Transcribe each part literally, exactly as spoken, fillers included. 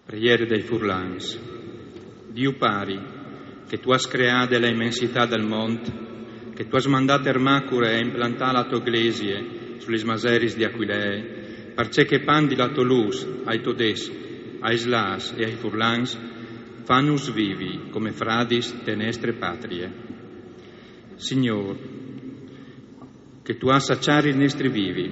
Preiere dai furlans. Diu Pari, che tu âs creade la imensitât dal mont, che tu âs mandât Ermacure a implantâ la tô glesie su lis maseris di Aquilee, parcè che pandi la tô lûs ai todescs, ai slâfs e ai furlans, fânus vivi come fradis te nestre patrie. Signôr, che tu âs a cjari il nestri vivi,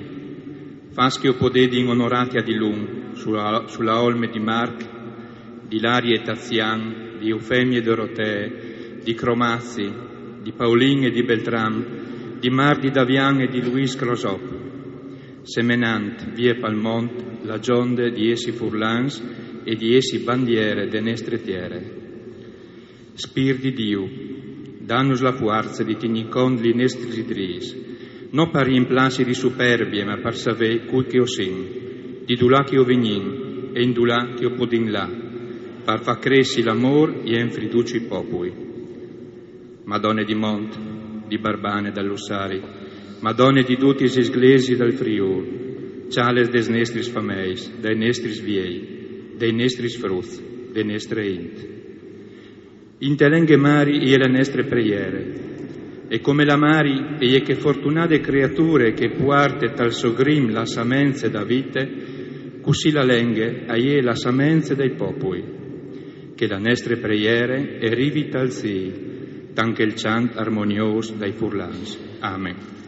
fâs che o podedin onorâti a dilunc su la, su la olme di Marc, di Larie e Tazian, di Eufemie e Dorotee, di Cromazi, di Paulin e di Beltram, di Mardi, Davian e di Luis Crosop, semenant vie pal mont la gjonde di jessi furlans e di jessi bandiere de nestre tiere. Spîr di Diu, dânus la fuarce di tignî cont li nestris drîts, no par jimplâsi di superbie, ma par savê cui che o sin, di dulà che o vignìn e indulà che o podìn lâ, par fâ cressi l'amôr e a infridû i popui. Madone di mont, di Barbane, dal Lussari, Madone di dutis lis glesiis dal Friûl, cjales des nestris fameis, dai nestris viei, dai nestris fruts, de nestre int. Inte lenghe mari e je la nestre preiere, e come la mari e je chê fortunade creature che e puarte tal so grim la samence da vite, cussì la lenghe e je la samence dai popui. Che la nestre preiere e rivi tal cîl, tant che il cjant armoniôs dai furlans. Amen.